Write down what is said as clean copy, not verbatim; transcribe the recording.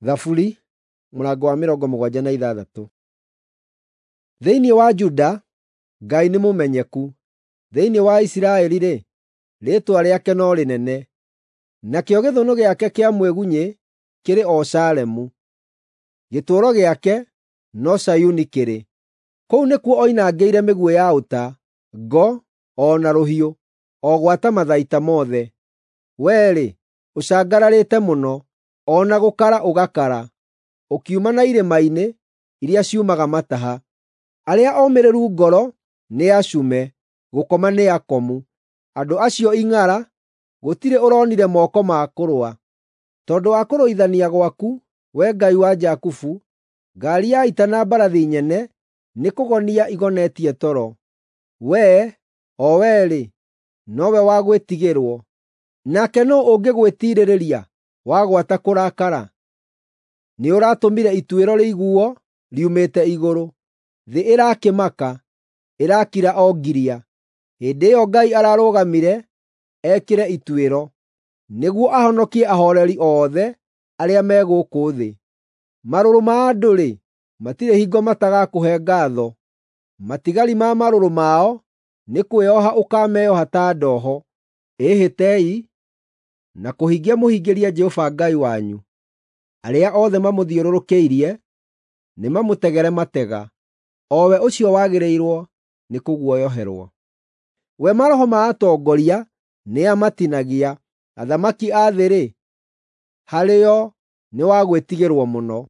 Thaburi mũrango wa 76. Thĩinĩ wa Juda Ngai nĩ mũmenyeku, thĩinĩ wa Isiraeli-rĩ, rĩĩtwa rĩake no rĩnene. Nakĩo gĩthũnũ gĩake kĩa mwĩgunyĩ kĩrĩ o Salemu, gĩtũũro gĩake no Zayuni kĩrĩ. Kũu nĩkuo oinangĩire mĩguĩ ya ũta, ngo o na rũhiũ, o gwata mathaita mothe. Wee-rĩ, ũcangararĩte mũno, o na gũkara ũgakara, ũkiuma na irĩma-inĩ iria ciumaga mataha. Arĩa omĩrĩru ngoro nĩ acume, gũkoma nĩ akomu. Andũ acio ing'ara, gũtirĩ ũronire moko ma kũrũa. Tondũ wa kũrũithania gwaku, Wee Ngai wa Jakubu, ngaari ya ita na mbarathi nyene nĩkũgonia igonetie toro. Wee, o Wee-rĩ, nowe wa gwĩtigĩrwo. Nake nũũ ũngĩgwĩtiirĩrĩria wagwata kũrakara? Nĩũratũmire ituĩro rĩiguo riumĩte igũrũ. Thĩ ĩrakĩmaka, ĩrakira o ngiria. Hĩndĩ ĩyo Ngai ararũgamire ekĩre ituĩro, nĩguo ahonokie ahooreri othe arĩa me gũkũ thĩ. Marũrũ ma andũ-rĩ, matirĩ hingo matagakũhe ngaatho; matigari ma marũrũ mao nĩ kwĩoha ũkaameoha ta ndoho. Ĩhĩtei na kũhingia mũhingĩrie Jehova Ngai wanyu. Arĩa othe mamũthiũrũrũkĩirie nĩmamũtegere matega, o we ũcio wagĩrĩirwo nĩ kũguoyoherwo. We maroho ma atongoria nĩamatinagia, athamaki a thĩ-rĩ, harĩo nĩ wa gwĩtigĩrwo mũno.